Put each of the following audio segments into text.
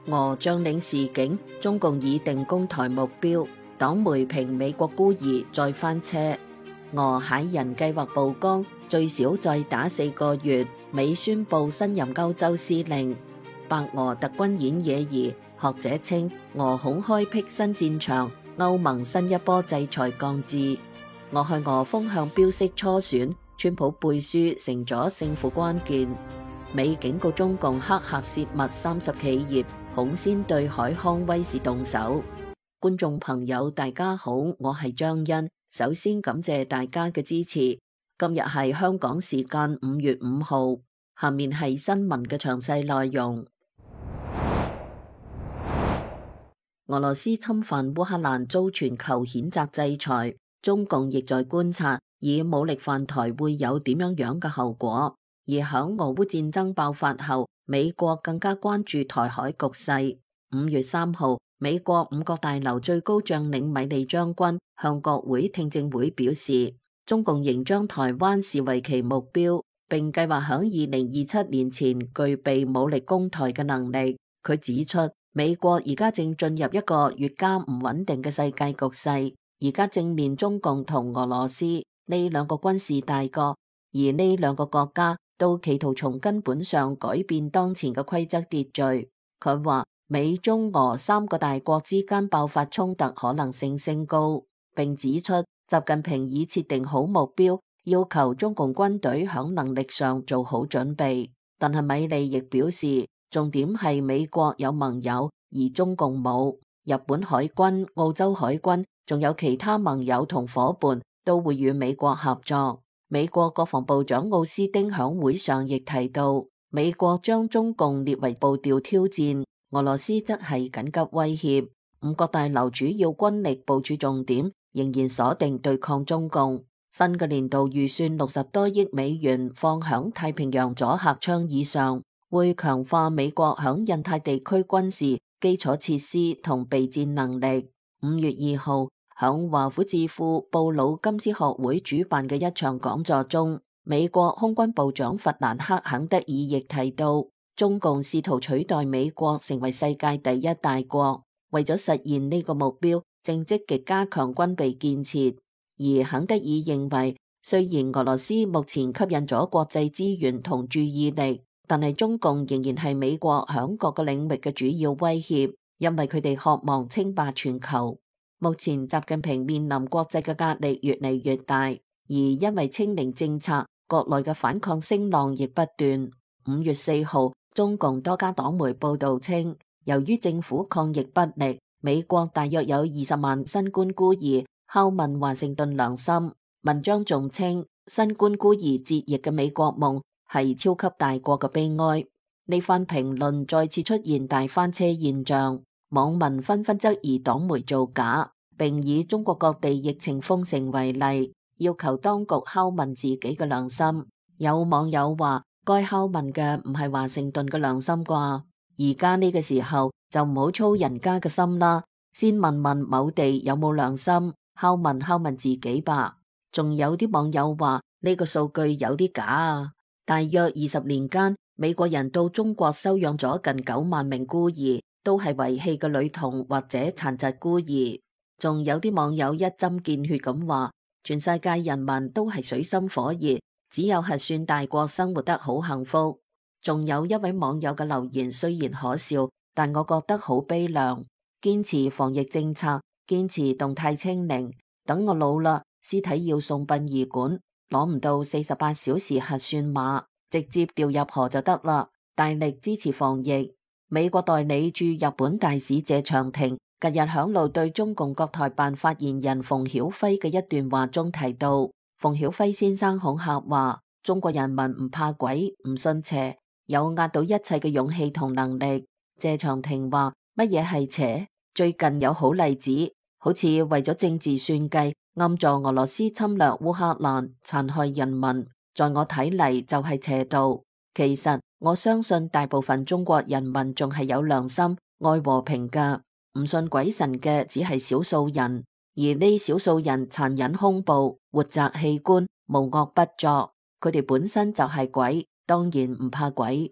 俄將領示警，中共已定攻台目標，黨媒評美國孤兒再翻車。俄駭人計劃曝光，最少再打4個月，美宣布新任歐洲司令。白俄特軍演野兒，學者稱俄恐開闢新戰場，歐盟新一波制裁降至。俄亥俄風向標式初選，川普背書成咗勝負關鍵。美警告中共黑客洩密30企業，恐先對海康威視動手。觀眾朋友大家好，我係張欣，首先感謝大家嘅支持。今日係香港時間5月5號，下面係新聞嘅詳細內容。俄羅斯侵犯烏克蘭遭全球譴責制裁，中共亦在觀察以武力犯台會有點樣嘅後果。而響俄烏戰爭爆發後，美國更加關注台海局勢。5月3號，美國五角大樓最高將領米利將軍向國會聽證會表示，中共仍將台灣視為其目標，並計劃響2027年前具備武力攻台嘅能力。佢指出，美國而家正進入一個越加唔穩定嘅世界局勢，而家正面中共同俄羅斯呢兩個軍事大國，而呢兩個國家都企圖從根本上改變當前嘅規則秩序。佢話美中俄3個大國之間爆發衝突可能性升高，並指出習近平已設定好目標，要求中共軍隊響能力上做好準備。但係米利亦表示，重點係美國有盟友，而中共冇。日本海軍、澳洲海軍，仲有其他盟友同夥伴都會與美國合作。美國國防部長奧斯汀響會上亦提到，美國將中共列為步調挑戰，俄羅斯則係緊急威脅。五角大樓主要軍力部署重點仍然鎖定對抗中共。新嘅年度預算60多億美元放響太平洋阻嚇倡議上，會強化美國響印太地區軍事基礎設施同備戰能力。5月2號，響華府智庫布魯金斯學會主辦嘅一場講座中，美國空軍部長弗蘭克肯德爾亦提到，中共試圖取代美國成為世界第一大國，為咗實現呢個目標，正積極加強軍備建設。而肯德爾認為，雖然俄羅斯目前吸引咗國際資源同注意力，但係中共仍然係美國響各個領域嘅主要威脅，因為佢哋渴望稱霸全球。目前習近平面臨國際嘅壓力越嚟越大，而因為清零政策，國內嘅反抗聲浪亦不斷。5月4號，中共多家黨媒報道稱，由於政府抗疫不力，美國大約有20萬新冠孤兒拷問華盛頓良心。文章仲稱，新冠孤兒折翼嘅美國夢係超級大國嘅悲哀。呢番評論再次出現大翻車現象，網民紛紛質疑黨媒造假，並以中國各地疫情封城為例，要求當局拷問自己嘅良心。有網友話，該拷問嘅唔係華盛頓嘅良心啩？而家呢個時候就唔好操人家嘅心啦，先問問某地有冇良心，拷問自己吧。仲有啲網友話，呢個數據有啲假啊！大約20年間，美國人到中國收養咗近9萬名孤兒，都係遺棄嘅女童或者殘疾孤兒。仲有啲網友一針見血咁話，全世界人民都係水深火熱，只有核算大國生活得好幸福。仲有一位網友嘅留言雖然可笑，但我覺得好悲涼。堅持防疫政策，堅持動態清零，等我老啦，屍體要送殯儀館，攞唔到48小時核酸碼，直接掉入河就得啦。大力支持防疫。美國代理駐日本大使謝長廷近日響路對中共國台辦發言人馮曉輝嘅一段話中提到，馮曉輝先生恐嚇話，中國人民唔怕鬼，唔信邪，有壓倒一切嘅勇氣同能力。謝長廷話，乜嘢係邪？最近有好例子，好似為咗政治算計，暗助俄羅斯侵略烏克蘭，殘害人民，在我睇嚟就係邪道。其實我相信大部分中國人民仲係有良心、愛和平㗎，唔信鬼神嘅只係少數人，而呢少數人殘忍兇暴、活摘器官、無惡不作，佢哋本身就係鬼，當然唔怕鬼。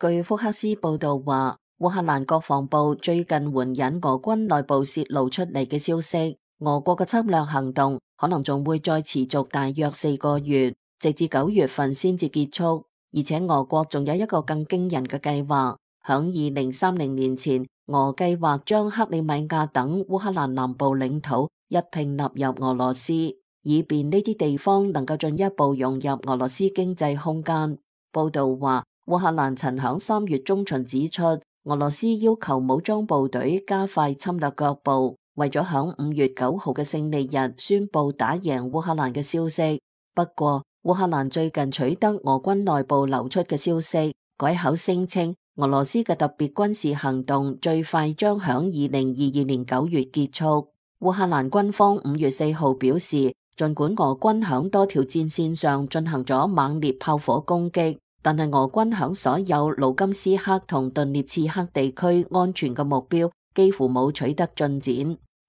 據福克斯報道話，烏克蘭國防部最近援引俄軍內部洩露出嚟嘅消息，俄國嘅侵略行動可能仲會再持續大約4個月，直至9月份先至結束。而且俄國仲有一個更驚人嘅計劃，響2030年前，俄計劃將克里米亞等烏克蘭南部領土一併納入俄羅斯，以便呢啲地方能夠進一步融入俄羅斯經濟空間。報道話，烏克蘭曾響3月中旬指出，俄羅斯要求武裝部隊加快侵略腳步，為咗響5月9號嘅勝利日宣布打贏烏克蘭嘅消息。不過，烏克蘭最近取得俄軍內部流出嘅消息，改口聲稱俄羅斯嘅特別軍事行動最快將響2022年9月結束。烏克蘭軍方5月4號表示，儘管俄軍響多條戰線上進行咗猛烈炮火攻擊，但係俄軍響所有盧甘斯克同頓涅茨克地區安全嘅目標幾乎冇取得進展。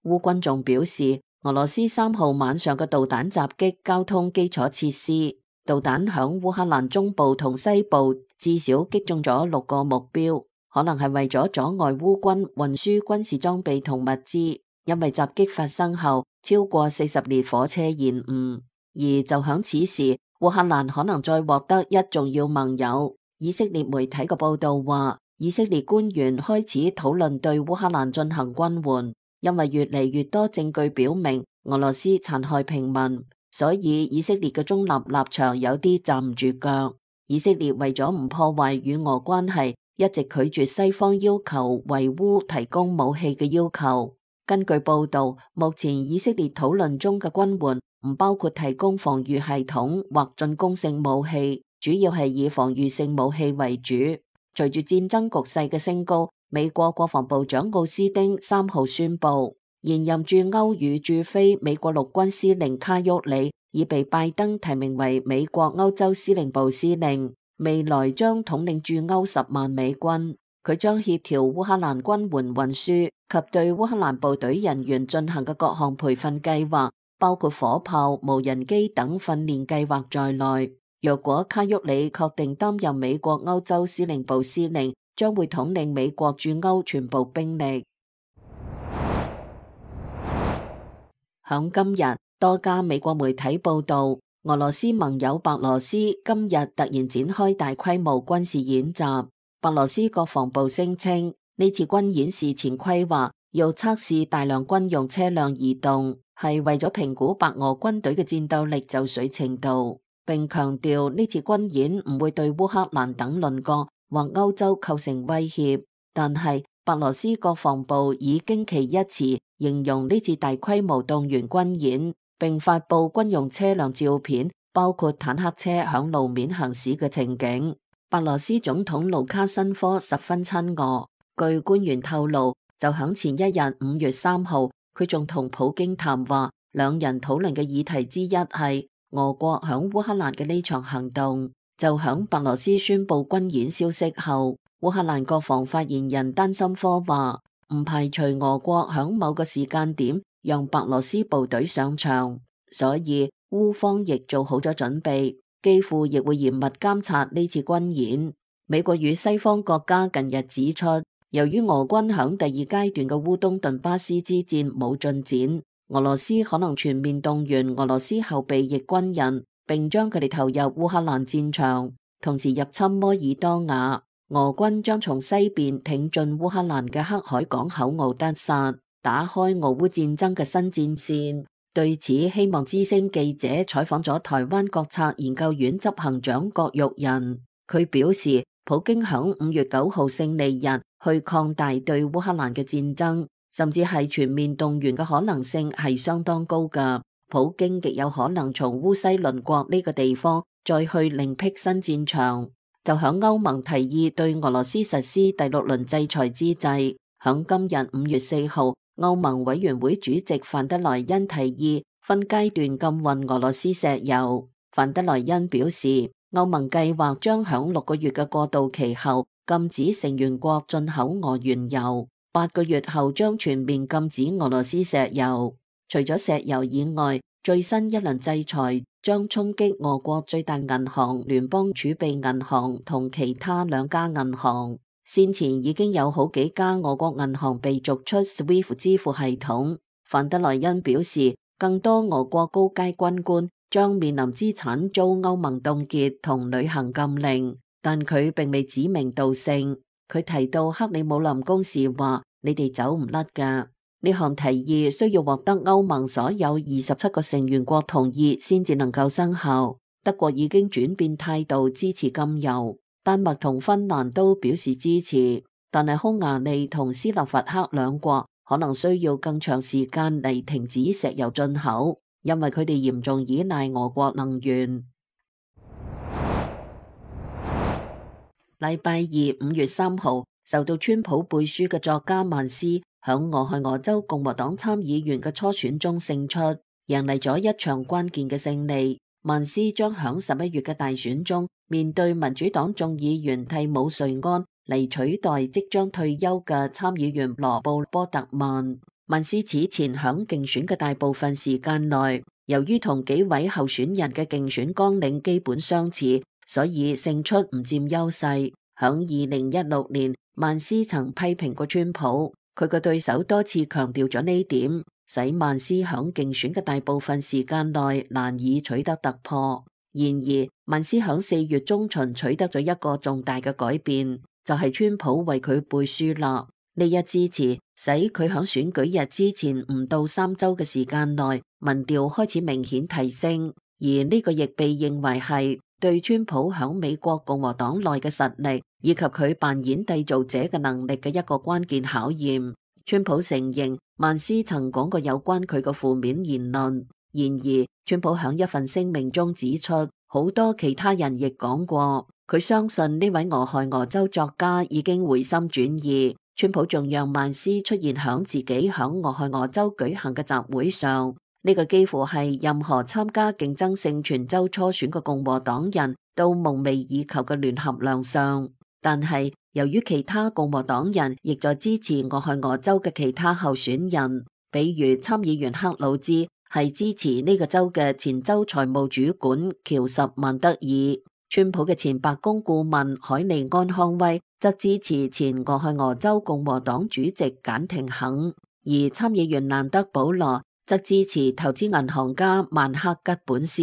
烏軍仲表示，俄羅斯3號晚上嘅導彈襲擊交通基礎設施，導彈響烏克蘭中部同西部至少擊中咗6個目標，可能係為咗阻礙烏軍運輸軍事裝備同物資，因為襲擊發生後超過40列火車延誤。而就響此時，烏克蘭可能再獲得一重要盟友。以色列媒體嘅報道話，以色列官員開始討論對烏克蘭進行軍援，因為越嚟越多證據表明俄羅斯殘害平民，所以以色列嘅中立立場有啲站唔住腳。以色列為咗唔破壞與俄關係，一直拒絕西方要求為烏提供武器嘅要求。根據報道，目前以色列討論中嘅軍援唔包括提供防禦系統或進攻性武器，主要係以防禦性武器為主。隨住戰爭局勢嘅升高，美國國防部長奧斯汀3號宣布，現任駐歐與駐非美國陸軍司令卡沃里已被拜登提名為美國歐洲司令部司令，未來將統領駐歐10萬美軍。佢將協調烏克蘭軍援運輸及對烏克蘭部隊人員進行嘅各項培訓計劃，包括火炮、無人機等訓練計劃在內。若果卡沃里確定擔任美國歐洲司令部司令，將會統領美國駐歐全部兵力。響今日，多家美國媒體報道，俄羅斯盟友白羅斯今日突然展開大規模軍事演習。白羅斯國防部聲稱，呢次軍演事前規劃要測試大量軍用車輛移動，係為咗評估白俄軍隊嘅戰鬥力就緒程度，並強調呢次軍演唔會對烏克蘭等鄰國或歐洲構成威脅。但係白羅斯國防部以驚奇一詞形容呢次大規模動員軍演，並發佈軍用車輛照片，包括坦克車響路面行駛嘅情景。白羅斯總統盧卡申科十分親俄，據官員透露，就響前一日5月3號，佢仲同普京談話，兩人討論嘅議題之一係俄國響烏克蘭嘅呢場行動。就響白羅斯宣布軍演消息後，烏克蘭國防發言人丹森科話，唔排除俄國響某個時間點讓白羅斯部隊上場，所以烏方亦做好咗準備。幾乎亦會嚴密監察呢次軍演。美國與西方國家近日指出，由於俄軍響第2階段嘅烏東頓巴斯之戰冇進展，俄羅斯可能全面動員俄羅斯後備役軍人，並將佢哋投入烏克蘭戰場，同時入侵摩爾多瓦。俄軍將從西邊挺進烏克蘭嘅黑海港口敖德薩，打開俄烏戰爭嘅新戰線。對此，希望之聲記者採訪咗台灣國策研究院執行長郭玉仁，佢表示，普京響5月9號勝利日去擴大對烏克蘭嘅戰爭，甚至係全面動員嘅可能性係相當高㗎。普京極有可能從烏西鄰國呢個地方再去另闢新戰場。就響歐盟提議對俄羅斯實施第6輪制裁之際，響今日5月4號。歐盟委員會主席范德萊恩提議分階段禁運俄羅斯石油。范德萊恩表示，歐盟計劃將響6個月嘅過渡期後禁止成員國進口俄原油，8個月後將全面禁止俄羅斯石油。除咗石油以外，最新一輪制裁將衝擊俄國最大銀行聯邦儲備銀行同其他2家銀行。先前已經有好幾家俄國銀行被逐出 SWIFT 支付系統。范德萊恩表示，更多俄國高階軍官將面臨資產遭歐盟凍結同旅行禁令，但佢並未指名道姓。佢提到克里姆林宮時話：你哋走唔甩㗎。呢項提議需要獲得歐盟所有27個成員國同意先至能夠生效。德國已經轉變態度支持禁油，丹麥同芬蘭都表示支持，但係匈牙利同斯洛伐克兩國可能需要更長時間嚟停止石油進口，因為佢哋嚴重依賴俄國能源。禮拜二5月3號，受到川普背書嘅作家曼斯響俄亥俄州共和黨參議員嘅初選中勝出，贏嚟咗一場關鍵嘅勝利。曼斯將響11月嘅大選中面對民主黨眾議員蒂姆瑞安嚟取代即將退休嘅參議員羅布波特曼。曼斯此前響競選嘅大部分時間內，由於同幾位候選人嘅競選綱領基本相似，所以勝出唔佔優勢。響2016年，曼斯曾批評過川普，佢嘅對手多次強調咗呢點，使曼斯響競選嘅大部分時間內難以取得突破。然而，曼斯響4月中旬取得咗一個重大嘅改變，就係川普為佢背書啦。呢一支持使佢響選舉日之前唔到3週嘅時間內，民調開始明顯提升，而呢個亦被認為係對川普響美國共和黨內嘅實力以及佢扮演締造者嘅能力嘅一個關鍵考驗。川普承認曼斯曾講過有關佢嘅負面言論，然而川普響一份聲明中指出，好多其他人亦講過，佢相信呢位俄亥俄州作家已經回心轉意。川普仲讓曼斯出現響自己響俄亥俄州舉行嘅集會上，呢個幾乎係任何參加競爭性全州初選嘅共和黨人都夢寐以求嘅聯合亮相。但係由於其他共和黨人亦在支持俄亥俄州嘅其他候選人，比如參議員克魯茲係支持呢個州嘅前州財務主管喬什曼德爾，川普嘅前白宮顧問海尼安康威則支持前俄亥俄州共和黨主席簡廷肯，而參議員蘭德保羅則支持投資銀行家曼克吉本斯。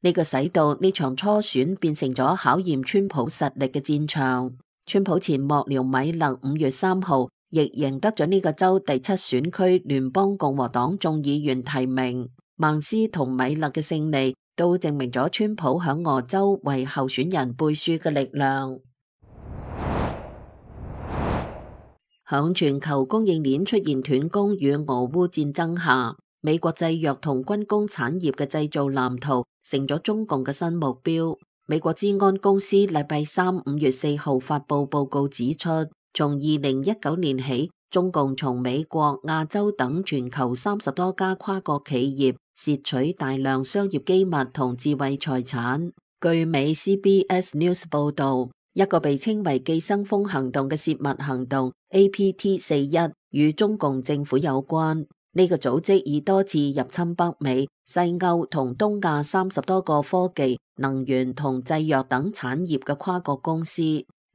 呢個使到呢場初選變成咗考驗川普實力嘅戰場。川普前幕僚米勒5月3號亦贏得咗呢個州第7選區聯邦共和黨眾議員提名。曼斯同米勒嘅勝利都證明咗川普響俄州為候選人背書嘅力量。響全球供應鏈出現斷供與俄烏戰爭下，美國製藥同軍工產業嘅製造藍圖成咗中共嘅新目標。美國資安公司禮拜三5月4號發佈報告指出，從2019年起，中共從美國、亞洲等全球30多家跨國企業竊取大量商業機密同智慧財產。據美 CBS News 報道，一個被稱為寄生蜂行動嘅竊密行動 APT41 與中共政府有關。呢個組織已多次入侵北美、西歐同東亞30多個科技、能源同製藥等產業嘅跨國公司。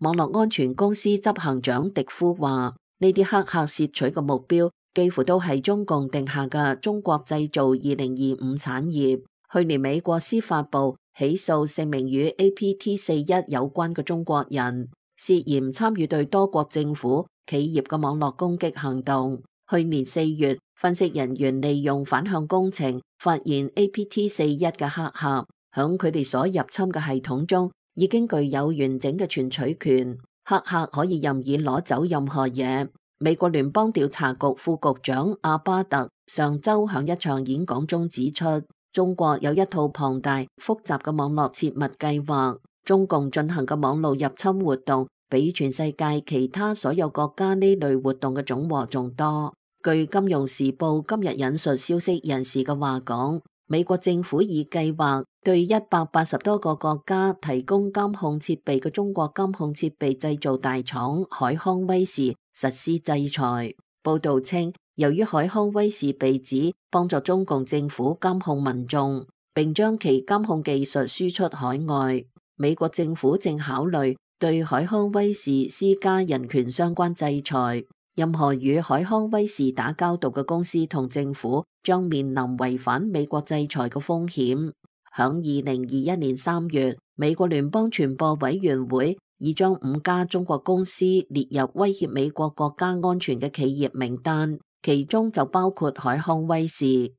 網絡安全公司執行長迪夫話：呢啲黑客竊取嘅目標幾乎都係中共定下嘅中國製造2025產業。去年美國司法部起訴姓名與 APT41 有關嘅中國人，涉嫌參與對多國政府、企業嘅網絡攻擊行動。去年4月，分析人員利用反向工程發現 APT41 嘅黑客響佢哋所入侵嘅系統中已經具有完整嘅存取權，黑客可以任意攞走任何嘢。美國聯邦調查局副局長阿巴特上周響一場演講中指出，中國有一套龐大複雜嘅網絡切密計劃，中共進行嘅網絡入侵活動比全世界其他所有國家呢類活動嘅總和仲多。據金融時報今日引述消息人士嘅話講，美國政府已計劃對180多個國家提供監控設備嘅中國監控設備製造大廠海康威視實施制裁。報道稱，由於海康威視被指幫助中共政府監控民眾，並將其監控技術輸出海外。美國政府正考慮對海康威視施加人權相關制裁。任何與海康威視打交道嘅公司同政府將面臨違反美國制裁嘅風險。響2021年3月，美國聯邦傳播委員會已將5家中國公司列入威脅美國國家安全嘅企業名單，其中就包括海康威視。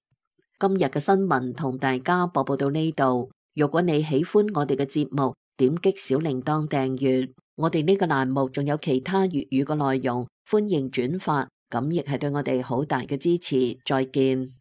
今日嘅新聞同大家播報到呢度。如果你喜歡我哋嘅節目，點擊小鈴鐺訂閱。我哋呢個欄目仲有其他粵語嘅內容，歡迎轉發，咁亦係對我哋好大嘅支持。再見。